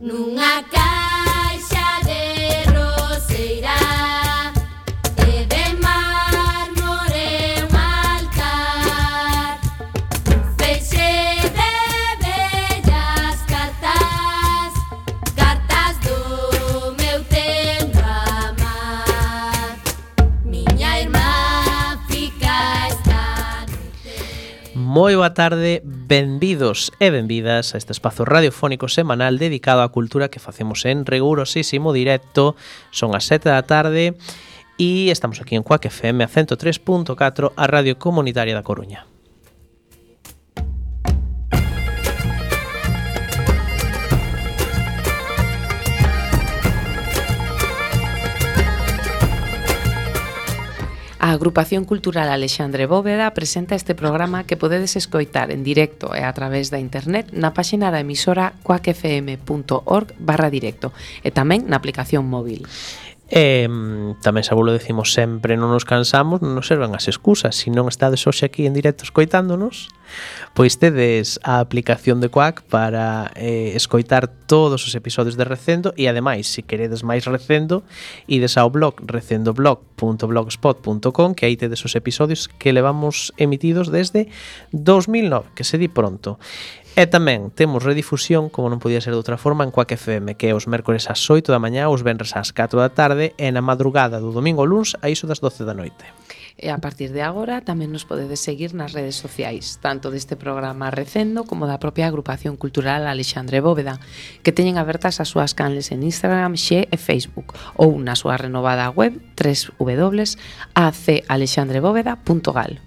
Nunha caixa de roseira de mármore un altar, feixe de bellas cartas, cartas do meu tendo amar. Miña irmá fica esta noite. Moi boa tarde, benvidos e benvidas a este espazo radiofónico semanal dedicado á cultura que facemos en rigurosísimo directo. Son as 7 da tarde e estamos aquí en Cuac FM a 103.4, a Radio Comunitaria da Coruña. A Agrupación Cultural Alexandre Bóveda presenta este programa que podedes escoitar en directo e a través da internet na páxina da emisora cuacfm.org/directo e tamén na aplicación móvil. Tamén xa vos lo decimos sempre, non nos cansamos, non nos servan as excusas. Se non estades hoxe aquí en directo escoitándonos, pois tedes a aplicación de Cuac para escoitar todos os episodios de Recendo e ademais, se queredes máis Recendo, ides ao blog recendoblog.blogspot.com, que aí tedes os episodios que levamos emitidos desde 2009, que se di pronto. E tamén temos redifusión, como non podía ser de outra forma, en Cuac FM, que é os mércores ás 8 da mañá, os venres ás 4 da tarde e na madrugada do domingo ao luns a iso das 12 da noite. E a partir de agora tamén nos podedes seguir nas redes sociais, tanto deste programa Recendo como da propia Agrupación Cultural Alexandre Bóveda, que teñen abertas as súas canles en Instagram, Xe e Facebook, ou na súa renovada web www.acalexandrebóveda.gal.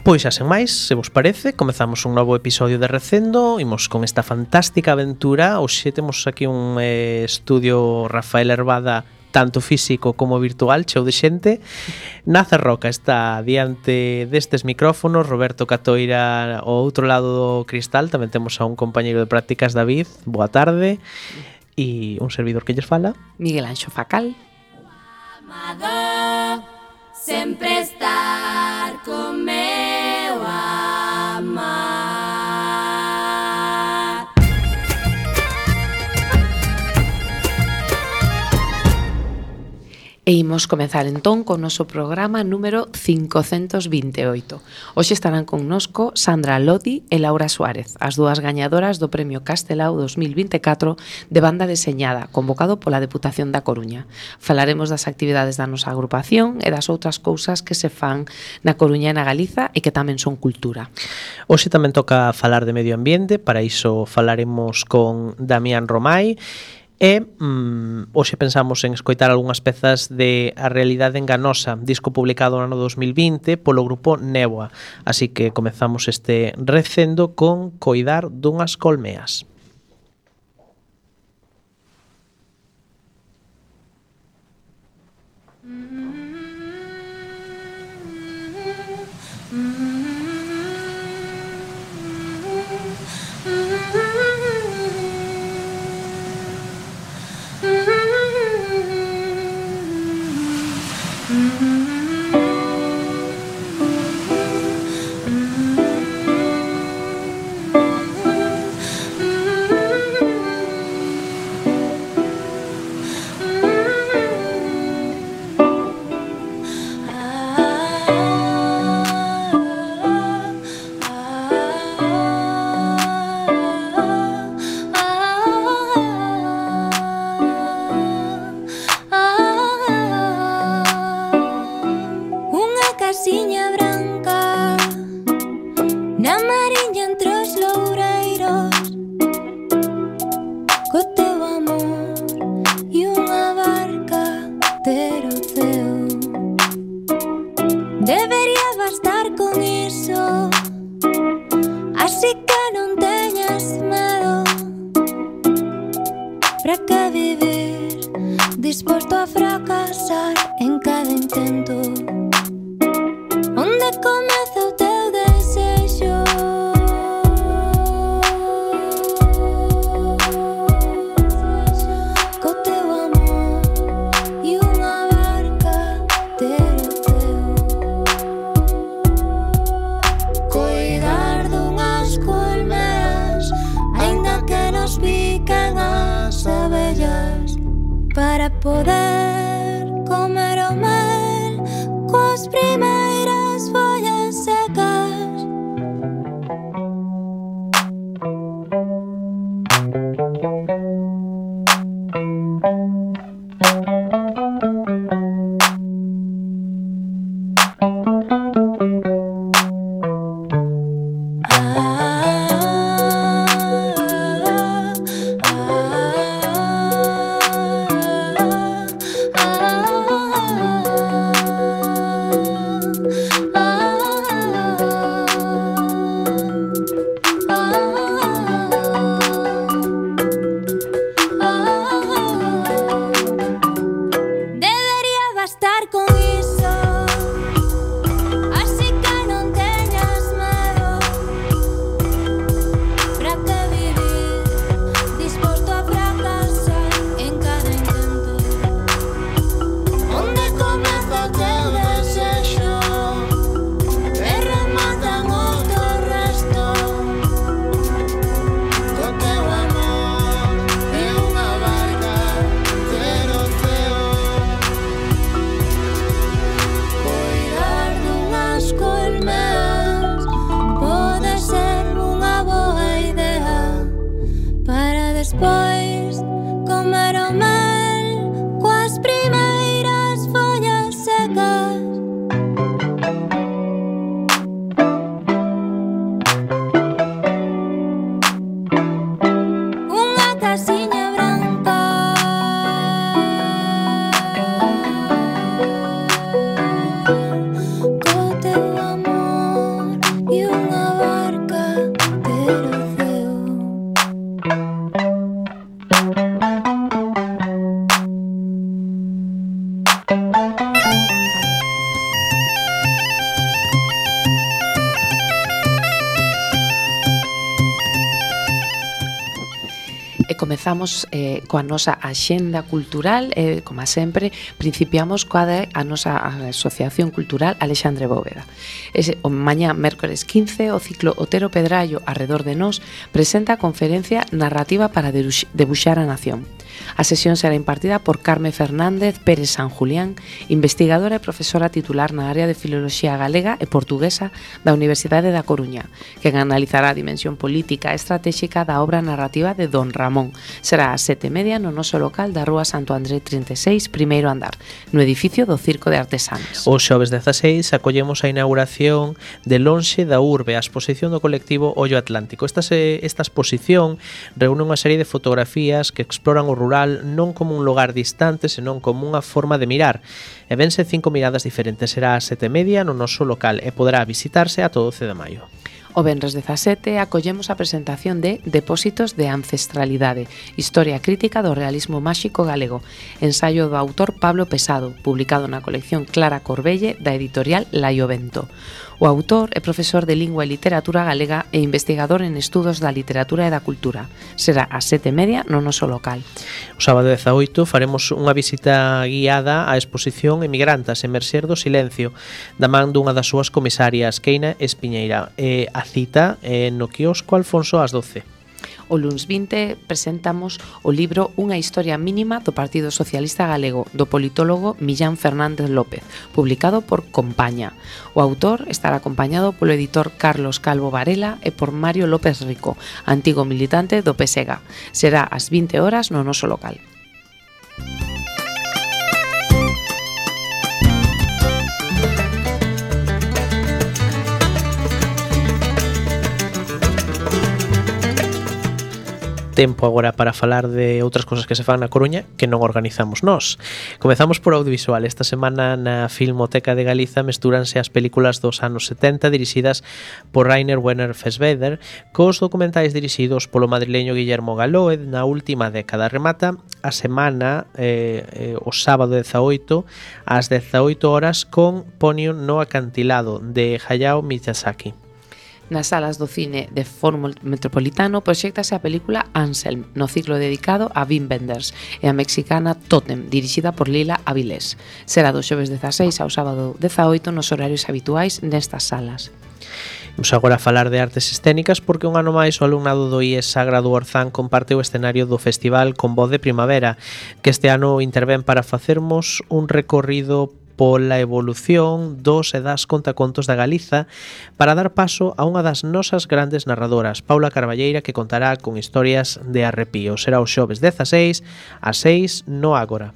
Pois xa sen máis, se vos parece, comezamos un novo episodio de Recendo. Imos con esta fantástica aventura. Hoxe temos aquí un estudio Rafael Herbada, tanto físico como virtual, cheo de xente. Naza Roca está diante destes micrófonos, Roberto Catoira ao outro lado do cristal. Tamén temos a un compañeiro de prácticas, David. Boa tarde. E un servidor que lles fala, Miguel Anxo Facal. Amado, sempre estar con meu amar. E imos comezar entón con o noso programa número 528. Hoxe estarán connosco Sandra Lodi e Laura Suárez, as dúas gañadoras do Premio Castelao 2024 de banda deseñada, convocado pola Deputación da Coruña. Falaremos das actividades da nosa agrupación e das outras cousas que se fan na Coruña e na Galiza e que tamén son cultura. Hoxe tamén toca falar de medio ambiente, para iso falaremos con Damián Romai. E hoxe pensamos en escoitar algunhas pezas de A realidade enganosa, disco publicado no ano 2020 polo grupo Néboa. Así que comezamos este Recendo con Coidar dunhas colmeas. Disposto a fracasar en cada intento. Onde comeza o teu desexo? Co teu amor e unha barca ter o teu. poder comer o mel coas primeiras follas secas. Despois comer o mel coas primeiras follas secas. Unha casiña branca co teu amor e unha barca ter o ceo. E comezamos coa nosa axenda cultural, como sempre, principiamos coa a nosa Asociación Cultural Alexandre Bóveda. O mañá, mércores 15, o ciclo Otero Pedrallo, Arredor de Nós, presenta a conferencia Narrativa para debuxar a nación. A sesión será impartida por Carme Fernández Pérez San Julián, investigadora e profesora titular na área de Filoloxía Galega e Portuguesa da Universidade da Coruña, que analizará a dimensión política e estratégica da obra narrativa de Don Ramón. Será ás 7:30 no noso local da Rúa Santo André 36, primeiro andar, no edificio do Circo de Artesanas. O xoves 16 acollemos a inauguración de Lonxe da Urbe, a exposición do colectivo Ollo Atlántico. Esta exposición reúne unha serie de fotografías que exploran o rural non como un lugar distante, senón como unha forma de mirar. E vense 5 miradas diferentes. Será ás 7:30 no noso local e poderá visitarse ata o 12 de maio. O venres 17 acollemos a presentación de Depósitos de Ancestralidade, Historia Crítica do Realismo Máxico Galego, ensaio do autor Pablo Pesado, publicado na colección Clara Corbelle da editorial Laiovento. O autor é profesor de Lingua e Literatura Galega e investigador en estudos da literatura e da cultura. Será ás 7:30 no noso local. O sábado 18 faremos unha visita guiada á exposición Emigrantas, Emerxer do Silencio, da man dunha das súas comisarias, Keina Espiñeira. A cita no quiosco Alfonso ás 12. O luns 20 presentamos o libro Unha historia mínima do Partido Socialista Galego, do politólogo Millán Fernández López, publicado por Compaña. O autor estará acompañado polo editor Carlos Calvo Varela e por Mario López Rico, antigo militante do PSEGA. Será ás 20 horas no noso local. Tempo agora para falar de outras cousas que se fan na Coruña que non organizamos nós. Comezamos por audiovisual. Esta semana na Filmoteca de Galiza mestúranse as películas dos anos 70 dirixidas por Rainer Werner Fassbinder cos documentais dirixidos polo madrileño Guillermo Galó. Na última década remata a semana o sábado 18 ás 18 horas con Ponyo no acantilado de Hayao Miyazaki. Nas salas do cine de Fórum Metropolitano proxéctase a película Anselm, no ciclo dedicado a Wim Wenders, e a mexicana Totem, dirixida por Lila Avilés. Será do xoves 16 ao sábado 18 nos horarios habituais nestas salas. Imos agora a falar de artes escénicas porque un ano máis o alumnado do IES Sagrado Orzán comparte o escenario do festival Con Voz de Primavera, que este ano intervén para facermos un recorrido pola evolución dos e das contacontos da Galiza para dar paso a unha das nosas grandes narradoras, Paula Carballeira, que contará con historias de arrepío. Será o xoves 16 ás 6 no Ágora.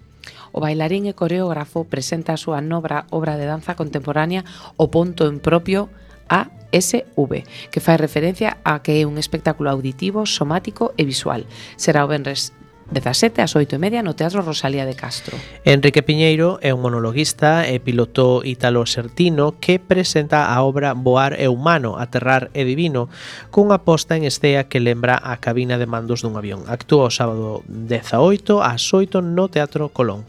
O bailarín e coreógrafo presenta a súa obra de danza contemporánea O Ponto en Propio ASV, que fai referencia a que é un espectáculo auditivo, somático e visual. Será o venres 17 ás 8:30 no Teatro Rosalía de Castro. Enrique Piñeiro é un monologuista e piloto italo-sertino que presenta a obra Voar é humano, aterrar é divino, cunha posta en escena que lembra a cabina de mandos dun avión. Actúa o sábado 18 ás 8 no Teatro Colón.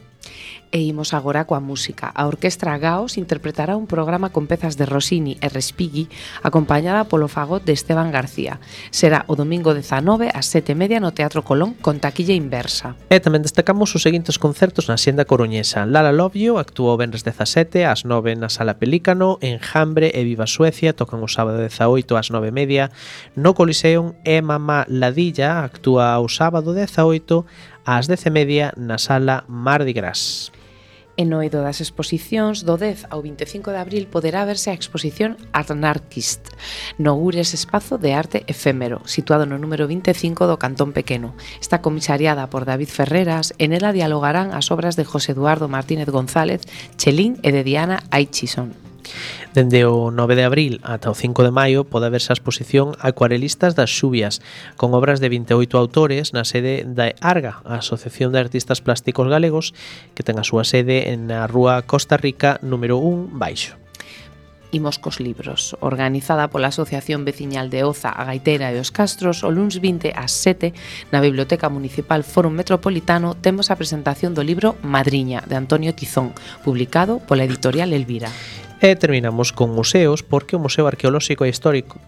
E imos agora coa música. A Orquestra Gaos interpretará un programa con pezas de Rossini e Respighi acompañada polo fagot de Esteban García. Será o domingo 19 ás 7:30 no Teatro Colón con taquilla inversa. E tamén destacamos os seguintes concertos na Xenda Coruñesa. Lala Love You actúa o venres 17 ás 9 na Sala Pelícano, Enjambre e Viva Suecia tocan o sábado 18 ás 9:30 no Coliseum e Mamá Ladilla actúa o sábado 18 ás 10:30 na Sala Mardi Gras. E no eido das exposicións, do 10 ao 25 de abril poderá verse a exposición Anarchist no Gures Espazo de Arte Efémero, situado no número 25 do Cantón Pequeno. Está comisariada por David Ferreras e nela dialogarán as obras de José Eduardo Martínez González, Chelín e de Diana Aichison. Dende o 9 de abril ata o 5 de maio pode verse a exposición Acuarelistas das Xubias, con obras de 28 autores na sede da ARGA, a Asociación de Artistas Plásticos Galegos, que ten a súa sede na Rúa Costa Rica número 1 baixo. Imos cos libros. Organizada pola Asociación Veciñal de Oza, a Gaitera e os Castros, o luns 20 ás 7 na Biblioteca Municipal Fórum Metropolitano temos a presentación do libro Madriña, de Antonio Tizón, publicado pola editorial Elvira. E terminamos con museos porque o Museo Arqueolóxico e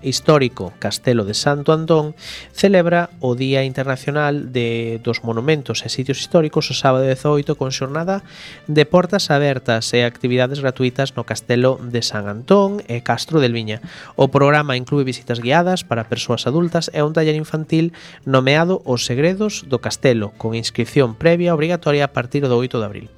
Histórico Castelo de Santo Antón celebra o Día Internacional dos Monumentos e Sitios Históricos o sábado 18 con xornada de portas abertas e actividades gratuitas no Castelo de San Antón e Castro del Viña. O programa inclúe visitas guiadas para persoas adultas e un taller infantil nomeado Os Segredos do Castelo, con inscripción previa obrigatoria a partir do 8 de abril.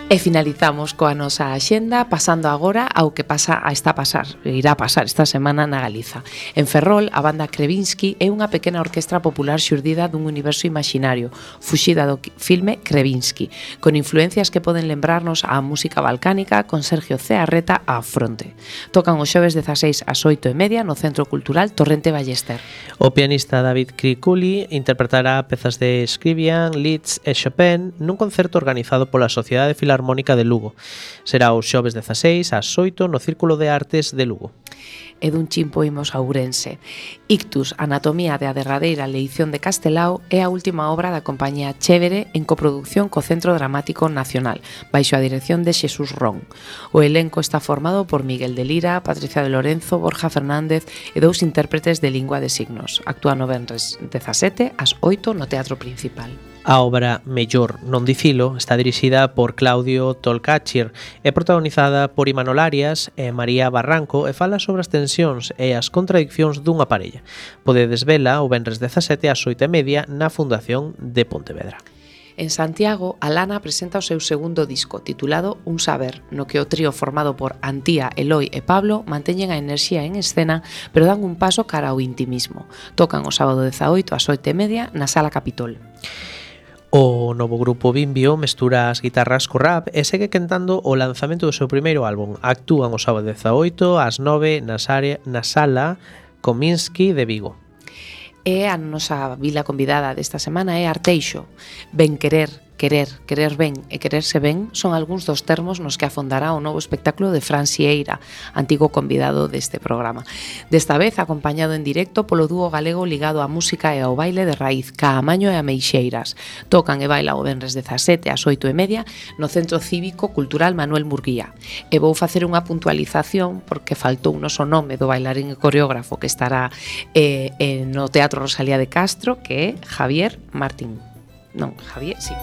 E finalizamos coa nosa axenda pasando agora ao que irá pasar esta semana na Galiza. En Ferrol, a banda Krevinsky é unha pequena orquestra popular xurdida dun universo imaginario, fuxida do filme Krevinsky, con influencias que poden lembrarnos á música balcánica con Sergio Cearreta á fronte. Tocan o xoves 16 ás 8:30 no Centro Cultural Torrente Ballester. O pianista David Criculi interpretará pezas de Scriabin, Liszt e Chopin nun concerto organizado pola Sociedade Filarmónica de Lugo. Será o xoves 16 ás 8 no Círculo de Artes de Lugo. E dun chimpo imos a Ourense. Ictus, Anatomía de a derradeira leición de Castelao é a última obra da compañía Chévere en coproducción co Centro Dramático Nacional, baixo a dirección de Xesús Ron. O elenco está formado por Miguel de Lira, Patricia de Lorenzo, Borja Fernández e dous intérpretes de lingua de signos. Actúa no venres 17 ás 8 no Teatro Principal. A obra Mellor non dicilo está dirixida por Claudio Tolcachir e protagonizada por Imanol Arias e María Barranco e fala sobre as tensións e as contradiccións dunha parella. Podedes vela o venres 17 ás 8:30 na Fundación de Pontevedra. En Santiago, Alana presenta o seu segundo disco, titulado Un Saber, no que o trío formado por Antía, Eloi e Pablo manteñen a enerxía en escena, pero dan un paso cara ao intimismo. Tocan o sábado 18 ás 8:30 na Sala Capitol. O novo grupo Bimbio mestura as guitarras co rap e segue quentando o lanzamento do seu primeiro álbum. Actúan o sábado 18 ás 9 na Sala Kominsky de Vigo. E a nosa vila convidada desta semana é Arteixo. Ben querer querer ben e quererse ben son algúns dos termos nos que afondará o novo espectáculo de Fran Sieira, antigo convidado deste programa. Desta vez acompañado en directo polo dúo galego ligado á música e ao baile de raíz, Caamaño e Ameixeiras. Tocan e bailan o venres 17 ás 8:30 no Centro Cívico Cultural Manuel Murguía. E vou facer unha puntualización porque faltou o noso nome do bailarín e coreógrafo que estará no Teatro Rosalía de Castro, que é Javier Martín. Non, Javier, sí.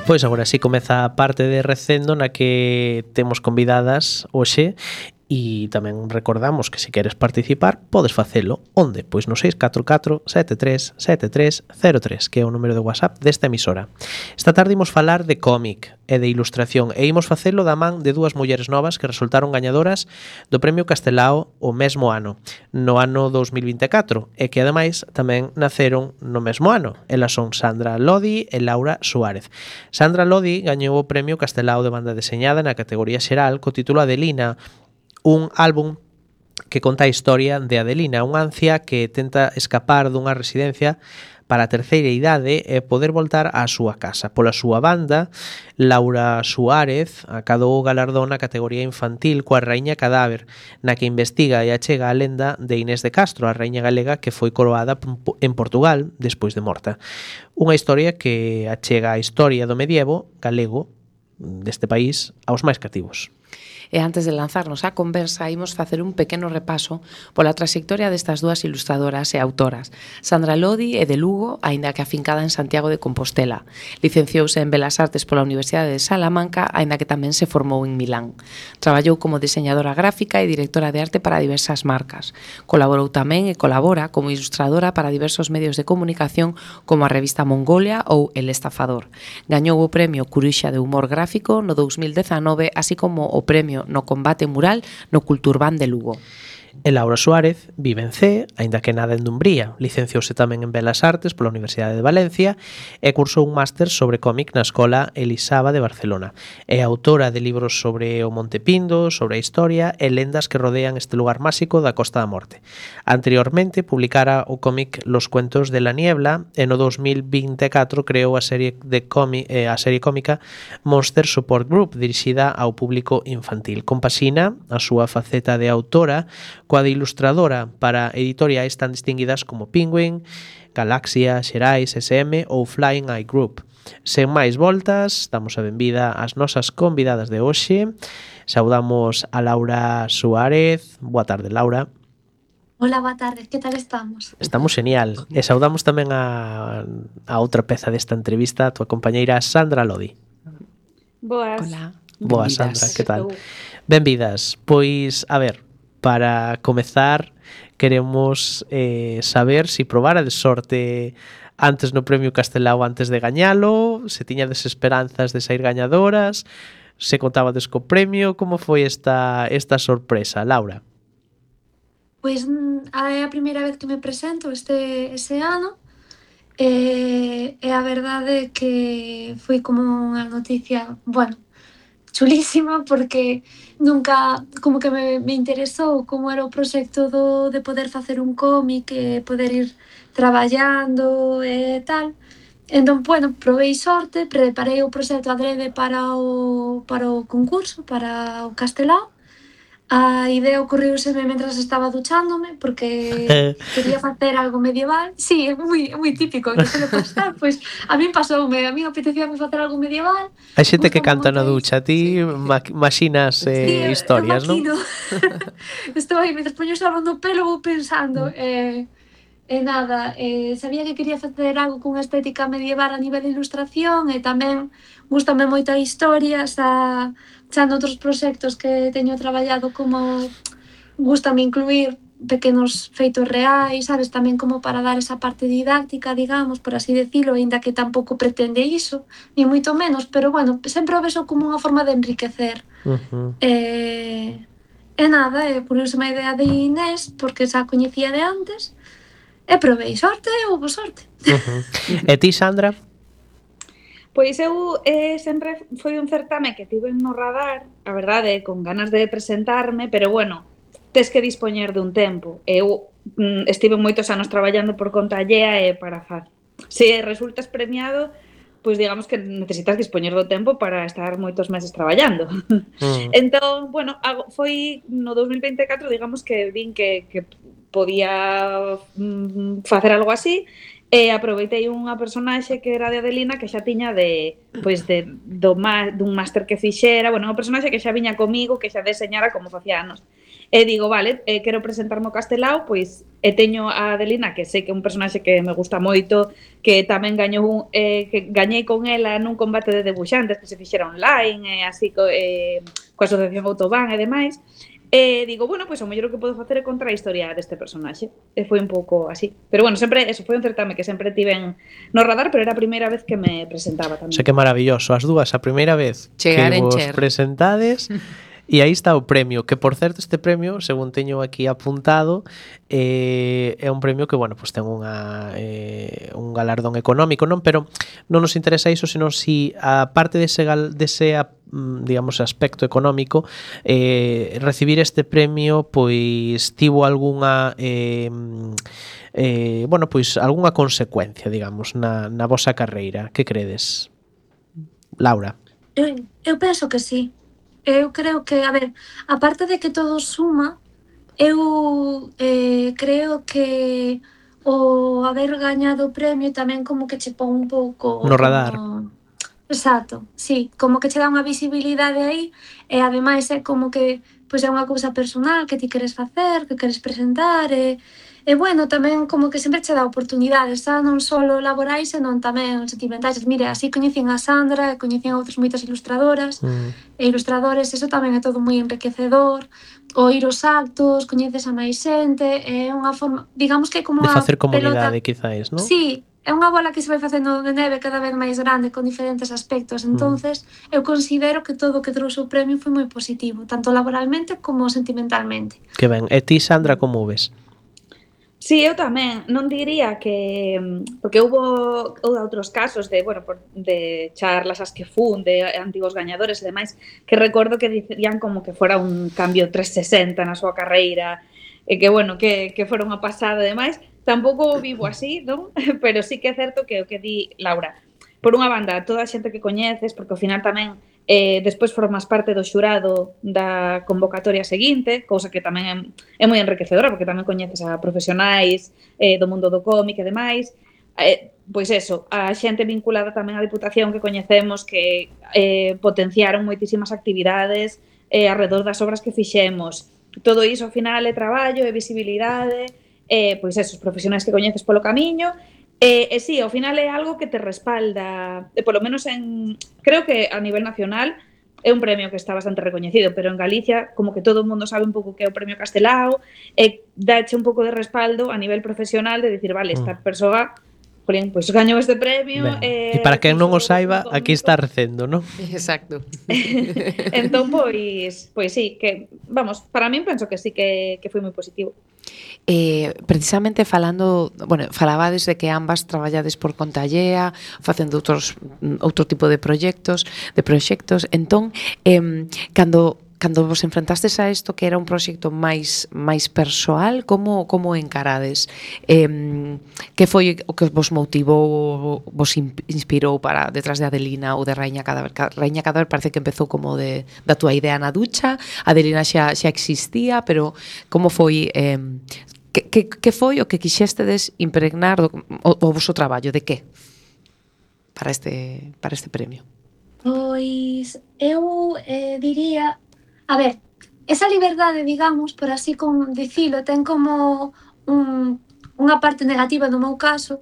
Pois agora sí comeza a parte de Recendo na que temos convidadas hoxe e tamén recordamos que se queres participar podes facelo. Onde? Pois no 644 73 73 03, que é o número de WhatsApp desta emisora. Esta tarde imos falar de cómic e de ilustración e imos facelo da man de dúas mulleres novas que resultaron gañadoras do Premio Castelao o mesmo ano, no ano 2024, e que ademais tamén naceron no mesmo ano. Elas son Sandra Lodi e Laura Suárez. Sandra Lodi gañou o Premio Castelao de banda deseñada na categoría xeral co título Adelina, un álbum que conta a historia de Adelina, unha ancia que tenta escapar dunha residencia para a terceira idade e poder voltar á súa casa. Pola súa banda, Laura Suárez acadou o galardón na categoría infantil coa Raíña Cadáver, na que investiga e achega a lenda de Inés de Castro, a raíña galega que foi coroada en Portugal despois de morta. Unha historia que achega a historia do medievo galego deste país aos máis cativos. E antes de lanzarnos á conversa, imos facer un pequeno repaso pola trayectoria destas dúas ilustradoras e autoras. Sandra Lodi é de Lugo, aínda que afincada en Santiago de Compostela. Licenciouse en Belas Artes pola Universidade de Salamanca, aínda que tamén se formou en Milán. Traballou como diseñadora gráfica e directora de arte para diversas marcas. Colaborou tamén e colabora como ilustradora para diversos medios de comunicación como a revista Mongolia ou El Estafador. Gañou o premio Curuxa de Humor Gráfico no 2019, así como o premio no combate mural no Culturban de Lugo. E Laura Suárez vive en Cee, aínda que nada en Dumbría. Licenciouse tamén en Belas Artes pola Universidade de Valencia e cursou un máster sobre cómic na Escola Elisaba de Barcelona. É autora de libros sobre o Monte Pindo, sobre a historia e lendas que rodean este lugar máxico da Costa da Morte. Anteriormente publicara o cómic Los Cuentos de la Niebla e no 2024 creou a serie cómica Monster Support Group, dirixida ao público infantil. Compaxina a súa faceta de autora coa de ilustradora para editoriais tan distinguidas como Penguin, Galaxia, Xerais, SM ou Flying Eye Group. Sen máis voltas, damos a benvida ás nosas convidadas de hoxe. Saudamos a Laura Suárez. Boa tarde, Laura. Hola, boa tarde, que tal estamos? Estamos genial. E saudamos tamén a outra peza desta entrevista, a tua compañeira Sandra Lodi. Boas. Hola. Boas, Sandra, que tal? Benvidas. Pois, a ver, para comezar, queremos saber se probara de sorte antes no Premio Castelao antes de gañalo, se tiñades esperanzas de sair gañadoras, se contabades co premio, como foi esta sorpresa, Laura? Pois é a primeira vez que me presento ese ano e a verdade é que foi como unha noticia, bueno, chulísima porque nunca como que me interesou como era o proxecto de poder facer un cómic e poder ir traballando e tal. Entón, bueno, provei sorte, preparei o proxecto adrede para o concurso, para o Castelao. A idea ocorriuseme mentras estaba duchándome porque quería facer algo medieval. Sí, é moi típico que suele pasar, pois a min pasoume, a min apetecíame facer algo medieval. Hai xente que canta na ducha, ti imaginas historias, non? Estou aí, mentras poño sabón no pelo vou pensando nada, sabía que quería facer algo cunha estética medieval a nivel de ilustración e tamén gústame moito a historia, xa noutros proxectos que teño traballado como gústame incluir pequenos feitos reais, sabes, tamén como para dar esa parte didáctica, digamos, por así decirlo, aínda que tampouco pretende iso, ni moito menos, pero bueno, sempre o vexo como unha forma de enriquecer. E nada, poniuse unha idea de Inés, porque xa coñecía de antes, e provei sorte e houve sorte. E ti, Sandra? Pois eu sempre foi un certame que tive no radar, a verdade, con ganas de presentarme, pero bueno, tes que dispoñer dun tempo. Eu estive moitos anos traballando por conta allea e para se resultas premiado, pois digamos que necesitas dispoñer do tempo para estar moitos meses traballando. Entón, bueno, foi no 2024, digamos que vin que podía facer algo así, e aproveitei unha personaxe que era de Adelina que xa tiña dun máster que fixera, bueno, unha personaxe que xa viña comigo, que xa deseñara como facía anos. E digo, vale, quero presentarme ao Castelao, pois e teño a Adelina, que sei que é un personaxe que me gusta moito, que tamén que gañei con ela nun combate de debuxantes que se fixera online, e así coa Asociación Autobán e demais. E digo, bueno, pois o mellor que podo facer é contar a historia deste personaxe. E foi un pouco así. Pero bueno, sempre, eso foi un certame que sempre tiven no radar, pero era a primeira vez que me presentaba tamén. Sei que maravilloso, as dúas, a primeira vez Chegar que en vos Cher. presentades. E aí está o premio, que por certo este premio, según teño aquí apuntado, é un premio que, bueno, pues ten un galardón económico, non? Pero non nos interesa iso, senón si a parte dese digamos, aspecto económico, recibir este premio, pois tivo algunha bueno, pois algunha consecuencia, digamos, na vosa carreira. Que credes? Laura. Eu penso que sí. Eu creo que, a ver, aparte de que todo suma, eu creo que o haber gañado o premio tamén como que che pon un pouco No radar. Exacto, sí, como que che dá unha visibilidade aí e ademais é como que pois é unha cousa personal que ti queres facer, que queres presentar e bueno, tamén como que sempre che dá oportunidades, xa non só laborais, senón tamén sentimentais. Mire, así coñecín a Sandra, coñecín a outras moitas ilustradoras e ilustradores, eso tamén é todo moi enriquecedor. O ir aos actos, coñeces a máis xente, é unha forma, digamos que é como De unha facer comunidade, pelota. quizáis, non? Sí, é unha bola que se vai facendo de neve cada vez máis grande con diferentes aspectos. Entonces, eu considero que todo o que trouxe o premio foi moi positivo, tanto laboralmente como sentimentalmente. Que ben. E ti, Sandra, como o ves? Sí, eu tamén. Non diría que... Porque houve outros casos de, bueno, de charlas as que fun, de antigos gañadores e demais, que recordo que dicían como que fora un cambio 360 na súa carreira, e que, bueno, que fora unha pasada e demais. Tampouco o vivo así, non? Pero sí que é certo que o que di Laura. Por unha banda, toda a xente que coñeces, porque ao final tamén despois formas parte do xurado da convocatoria seguinte, cousa que tamén é moi enriquecedora, porque tamén coñeces a profesionais do mundo do cómic e demais. Pois eso, a xente vinculada tamén á Diputación que coñecemos que potenciaron moitísimas actividades alrededor das obras que fixemos. Todo iso ao final é traballo, é visibilidade, pois eso, os profesionais que coñeces polo camiño. E sí, ao final é algo que te respalda, polo menos creo que a nivel nacional é un premio que está bastante recoñecido, pero en Galicia como que todo o mundo sabe un pouco que é o premio Castelao e dáche un pouco de respaldo a nivel profesional de dicir, vale, esta persoa pois gañou este premio. E para quen non o saiba, aquí está recendo, non? Exacto. Entón, pois sí, que, vamos, para min penso que sí que foi moi positivo. Precisamente falando, bueno, falabades de que ambas traballades por conta allea, facendo outro tipo de proxectos, entón, cando vos enfrentastes a isto que era un proxecto máis persoal, como encarades? Que foi o que vos motivou, vos inspirou para detrás de Adelina ou de Raíña Cadáver? Raíña Cadáver parece que empezou como da túa idea na ducha, Adelina xa existía, pero como foi... Que foi o que quixéstedes impregnar o voso traballo? De que? Para este premio. Pois eu diría, a ver, esa liberdade, digamos, por así como dicilo, ten como unha parte negativa no meu caso,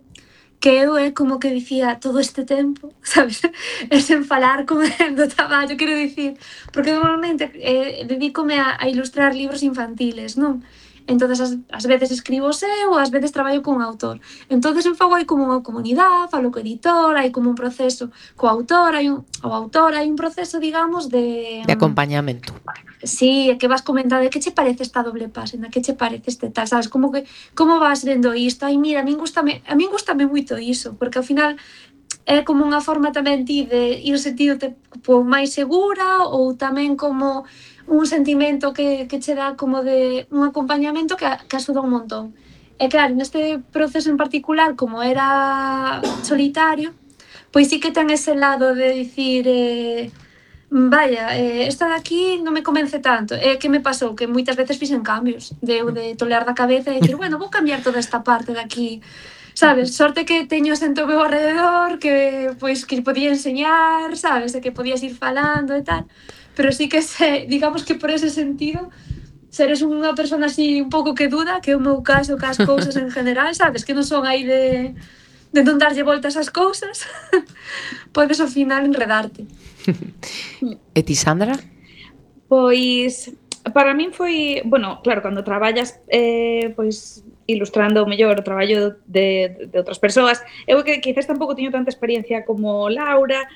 que eu é como que dicía todo este tempo, sabes? É sen falar como do traballo, quero dicir, porque normalmente dedícome a ilustrar libros infantiles, non? Entonces, ás veces escribo eu, ás veces traballo con un autor. Entonces, en fago hai como unha comunidade, falo co editor, hai como un proceso co autor, hai un proceso, digamos, de acompañamento. Sí, que vas comentando, que che parece esta doble páxina, que che parece este tal, sabes, como vas vendo isto? Ai, mira, a min gustame moito iso, porque ao final é como unha forma tamén ti de ir sentirte máis segura ou tamén como un sentimento que che dá como de un acompañamento que axuda un montón. E claro, neste proceso en particular, como era solitario, pois sí que ten ese lado de dicir vaya, esta de aquí non me convence tanto. Que me pasou? Que moitas veces fixen cambios de tolear da cabeza e dicir, bueno, vou cambiar toda esta parte de aquí. Sabes, sorte que teño xente ao meu alrededor que pois que podía enseñar, sabes, e que podías ir falando e tal, pero sí que digamos que por ese sentido seres unha persona así un pouco que duda, que é o meu caso cas cousas en general, sabes, que non son aí de non darlle voltas ás cousas, podes ao final enredarte. E ti, Sandra? Pois, para min foi, bueno, claro, cando traballas pois ilustrando o mellor o traballo de outras persoas, eu que quizás tampouco teño tanta experiencia como Laura,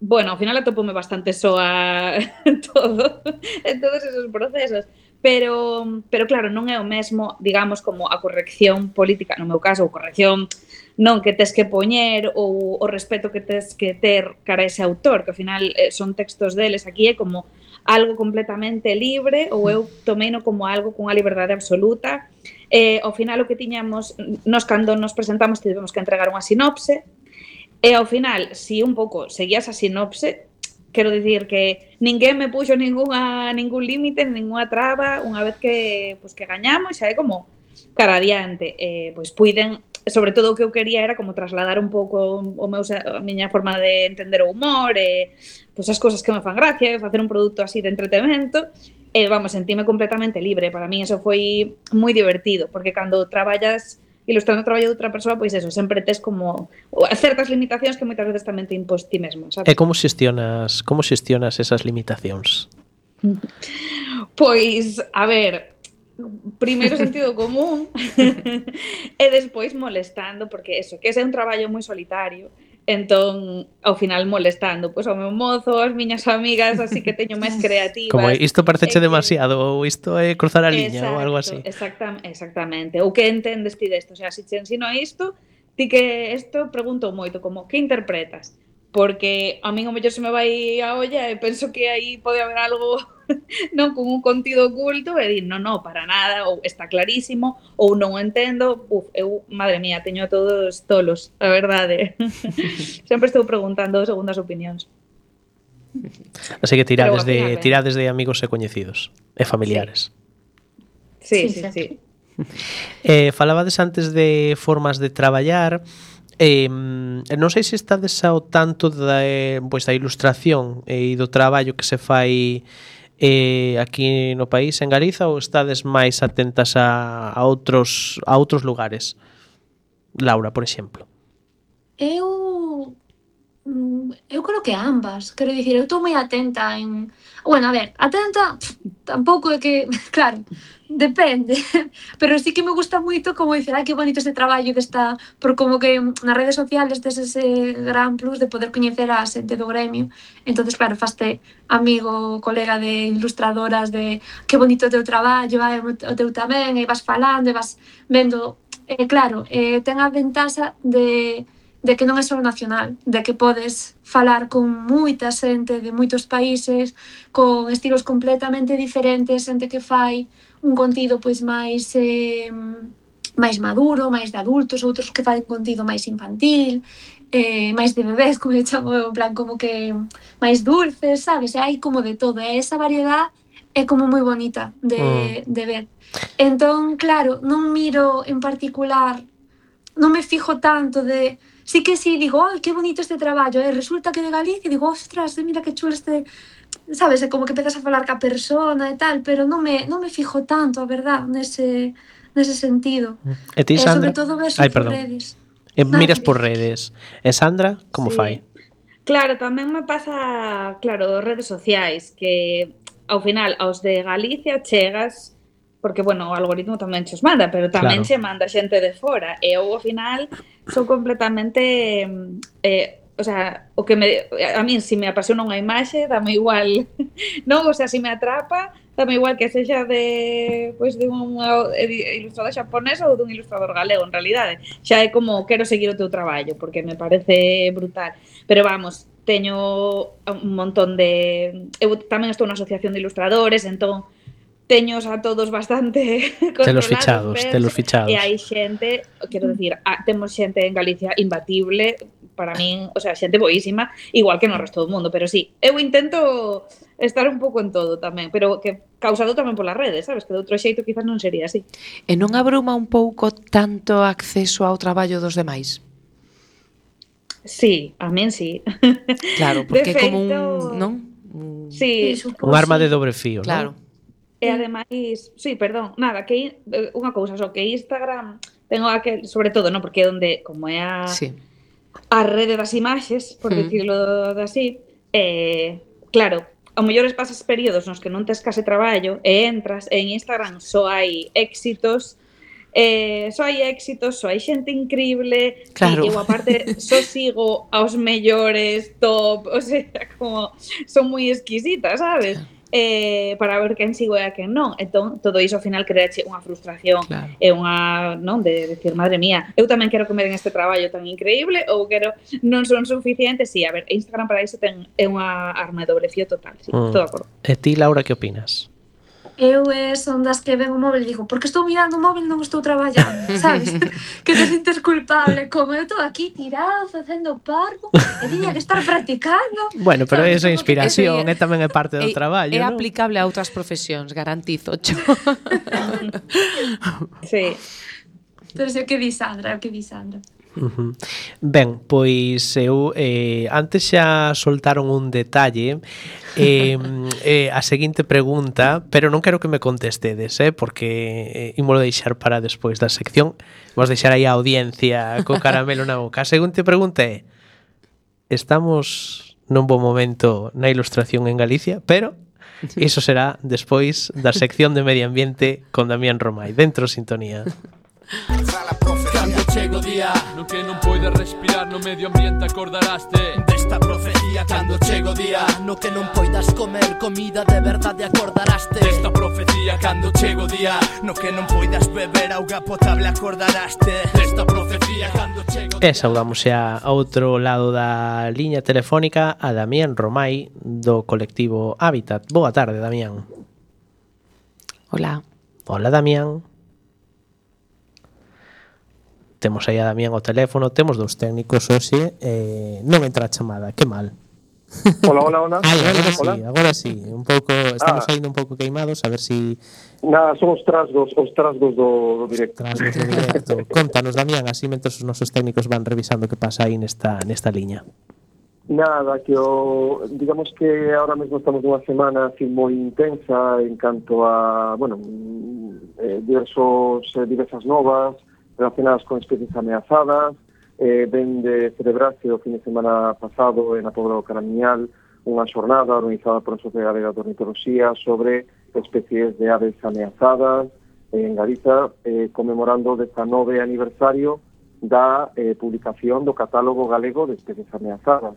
bueno, ao final atopome bastante soa en todos esos procesos, pero claro, non é o mesmo, digamos, como a corrección política, no meu caso, ou corrección non que tes que poñer ou o respeto que tes que ter cara a ese autor, que ao final son textos deles, aquí é como algo completamente libre ou eu tomeino como algo cunha liberdade absoluta. Ao final o que tiñamos, nos cando nos presentamos tivemos que entregar unha sinopse e ao final, si un pouco seguías a sinopse, quero dicir que ninguén me puxo ningún límite, ninguna traba, unha vez que gañamos, xa é como cara adiante, pois puiden, sobre todo o que eu quería era como trasladar un pouco a miña forma de entender o humor, pois as cousas que me fan gracia, facer un produto así de entretemento, vamos, sentíme completamente libre. Para mí eso foi moi divertido, porque cando traballas ilustrando o traballo de outra persoa, pois eso, sempre tes como certas limitacións que moitas veces tamén te impós ti mesmo, sabes? E como xestionas esas limitacións? Pois, a ver, primeiro sentido común e despois molestando, porque eso, que ese é un traballo moi solitario, entón, ao final molestando pois ao meu mozo, as miñas amigas, así que teño máis creativas. Como isto pareceche demasiado, ou isto é cruzar a liña, ou algo así. Exactamente. Ou que entendes ti desto? O sea, se te ensino isto, ti que isto pregunto moito, como, que interpretas? Porque a min o mellor se me vai a olla e penso que aí pode haber algo non con un contido oculto e dir, non, para nada, ou está clarísimo, ou non o entendo, eu, madre mía, teño a todos tolos, a verdade. Sempre estou preguntando segundas opinións. Así que tirades de amigos e coñecidos e familiares. Sí. Falabades antes de formas de traballar. Non sei se estades ao tanto da ilustración e do traballo que se fai aquí no país, en Galiza, ou estades máis atentas a outros lugares? Laura, por exemplo. Eu creo que ambas. Quero dicir, eu estou moi atenta en... Bueno, a ver, atenta tampouco é que... Claro, depende. Pero sí que me gusta moito como dicir, que bonito este traballo que está... Por como que nas redes sociales tes ese gran plus de poder coñecer a xente do gremio. Entonces, claro, faste amigo, colega de ilustradoras de que bonito o teu traballo, o teu tamén, e vas falando, e vas vendo... Claro, ten a ventaxa de que non é só nacional, de que podes falar con moita xente de moitos países, con estilos completamente diferentes, xente que fai un contido pois máis maduro, máis de adultos, outros que fai un contido máis infantil, máis de bebés, como eu chamo, en plan como que máis dulces, sabes? E hai como de todo, e esa variedade é como moi bonita de ver. Entón, claro, non miro en particular, non me fijo tanto de... Sí que sí, digo, que bonito este traballo, resulta que de Galicia, digo, ostras, mira que chulo este... Sabes, como que empezas a falar ca persona e tal, pero non me fijo tanto, a verdad, nese sentido. E ti, Sandra? Sobre todo ver por redes. Miras por redes. E Sandra, como fai? Claro, tamén me pasa, claro, redes sociais, que ao final aos de Galicia chegas... Porque, bueno, o algoritmo tamén che os manda, pero tamén che manda xente de fora. E eu, ao final, son completamente... o sea, a min, se me apasiona unha imaxe, dame igual, non? O sea, se me atrapa, dame igual que sexa de unha ilustrador xaponés ou dun ilustrador galego, en realidade. Xa é como, quero seguir o teu traballo, porque me parece brutal. Pero vamos, teño un montón de... Eu tamén estou na asociación de ilustradores, entón teños a todos bastante controlados. Telos fichados. E hai xente, quero dicir, temos xente en Galicia imbatible, para min, o sea, xente boísima, igual que no resto do mundo, pero sí, eu intento estar un pouco en todo tamén, pero que causado tamén polas redes, sabes? Que de outro xeito quizás non sería así. E non abruma un pouco tanto acceso ao traballo dos demais? Sí, a min sí. Claro, porque é como un, non? Sí, Un arma de dobre fío, Claro. non? E ademais, sí, perdón, nada, que unha cousa, só que Instagram tengo aquel, sobre todo, non, porque é onde, como é a rede das imaxes, por dicirlo así, claro, ao mellor pasas períodos nos que non tes case traballo e entras e en Instagram só hai éxitos, só hai xente increíble, claro. E eu aparte só sigo aos mellores top, o sea, como son moi exquisitas, sabes? Para ver quen sigo e a quen non. Entón, todo iso ao final creache unha frustración e unha, non, de decir, madre mía, eu tamén quero que me den este traballo tan increíble ou quero, non son suficientes. Sí, a ver, Instagram para iso é unha arma de doble fío total, sí, todo de acordo. E ti, Laura, que opinas? Eu son das que ven o móvil e digo, porque estou mirando o móvil non estou traballando, sabes? Que te sintes culpable, como eu estou aquí tirado, facendo parvo, e tiña que estar practicando. Bueno, pero esa inspiración tamén é parte do traballo, É non? aplicable a outras profesións, garantizo. Sí. Pero se o que di Sandra, o que di Sandra. Ben, pois eu antes xa soltaron un detalle, a seguinte pregunta, pero non quero que me contestedes, porque ímolo deixar para despois da sección. Vos deixar aí a audiencia co caramelo na boca. A seguinte pregunta é: estamos nun bo momento na ilustración en Galicia, pero iso será despois da sección de medio ambiente con Damián Romai. Dentro sintonía. Cando chego día no que non poides respirar, no medio ambiente acordaraste desta profecía. Cando chego día no que non poidas comer comida de verdade, acordaraste desta profecía. Cando chego día no que non poidas beber auga potable, acordaraste desta profecía. Cando chego día... E saudamos xa a outro lado da liña telefónica a Damián Romai do colectivo Hábitat. Boa tarde, Damián. Hola. Hola, Damián. Temos aí a Damián ao teléfono, temos dous técnicos hoxe, non entra a chamada, que mal. Hola. Agora sí, un pouco, estamos saindo un pouco queimados, a ver si... Nada, son os trasgos do directo. Trasgos do directo. Contanos, Damián, así mentres os nosos técnicos van revisando que pasa aí nesta liña. Nada, que digamos que ahora mesmo estamos nunha semana así moi intensa en canto a, bueno, diversas novas relacionadas con especies ameazadas. Ven de celebrarse o fin de semana pasado na Pobra do Caramiñal unha xornada organizada por a Sociedade Galega de Ornitoloxía sobre especies de aves ameazadas en Galiza, conmemorando o 19 aniversario da publicación do Catálogo Galego de Especies Ameazadas.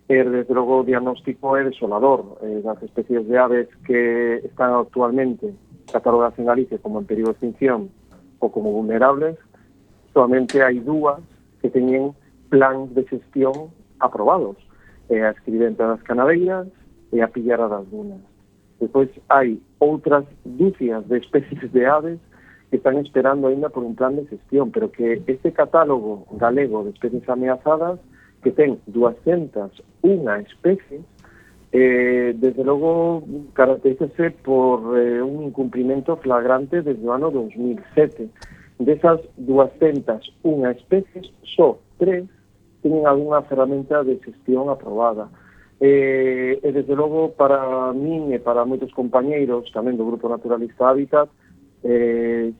Desde logo o diagnóstico é desolador. Das especies de aves que están actualmente catalogadas en Galicia como en peligro de extinción ou como vulnerables, solamente hai dúas que teñen plans de xestión aprobados. A escribenta das canadeiras e a pillara das dunas. Depois hai outras dúcias de especies de aves que están esperando ainda por un plan de xestión, pero que este catálogo galego de especies ameazadas, que ten 201 especies, desde logo caracterízase por un incumprimento flagrante desde o ano 2007. Desas 201 especies, só 3 teñen algunha ferramenta de xestión aprobada. E desde logo, para min e para moitos compañeiros tamén do Grupo Naturalista Hábitat,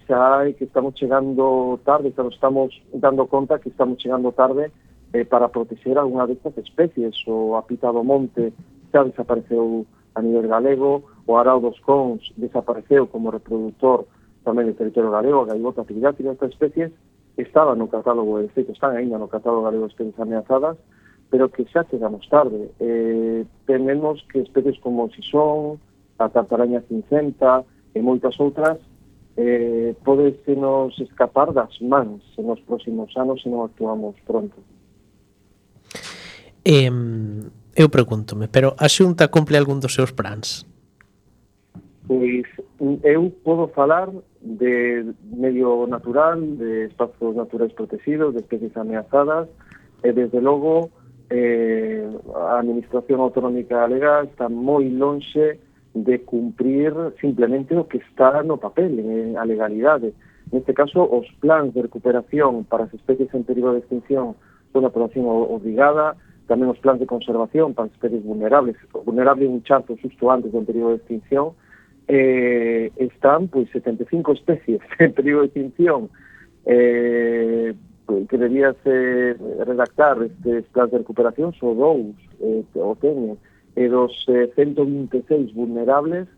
xa é que estamos chegando tarde, estamos dando conta que estamos chegando tarde para proteger algunha destas especies. O apita do monte xa desapareceu a nivel galego, o arao dos cons desapareceu como reproductor tamén do territorio galego, a gaivota piriática. Estas especies estaban no catálogo, de feito, están ainda no catálogo galego de especies ameazadas, pero que xa chegamos tarde. Tenemos que especies como o sisón, a tartaraña cincenta e moitas outras, pode se nos escapar das mans nos próximos anos se non actuamos pronto. Eu pregúntome, pero a Xunta cumple algún dos seus plans? Pois eu podo falar de medio natural, de espazos naturais protegidos, de especies ameazadas, e desde logo a Administración Autonómica Galega está moi lonxe de cumprir simplemente o que está no papel, a legalidade. Neste caso, os plans de recuperación para as especies en peligro de extinción son a aprobación obrigada, tamén os plans de conservación para as especies vulnerables. Vulnerable un chanzo xusto antes do peligro de extinción, están pois 75 especies en peligro de extinción que debíase redactar estes plans de recuperación, só dous o teñen, e dos 126 vulnerables,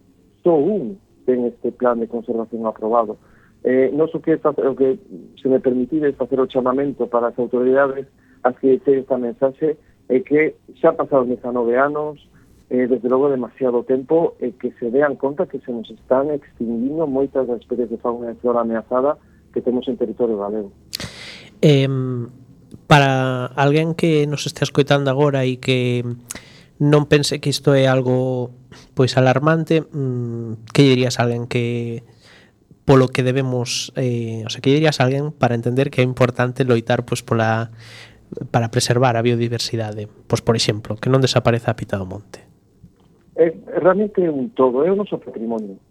só un ten este plan de conservación aprobado. Non o que se me permitide facer o chamamento para as autoridades as que ten esta mensaxe é que xa pasaron 19 anos, desde logo demasiado tempo, e que se dean conta que se nos están extinguindo moitas das especies de fauna e flora ameazada que temos en territorio galego. Para alguén que nos este escoitando agora e que non pense que isto é algo pois alarmante, que dirías a alguén que polo que debemos, que dirías a alguén para entender que é importante loitar pois para preservar a biodiversidade, pois por exemplo, que non desapareza a pita do monte? Realmente é un todo, é o noso patrimonio.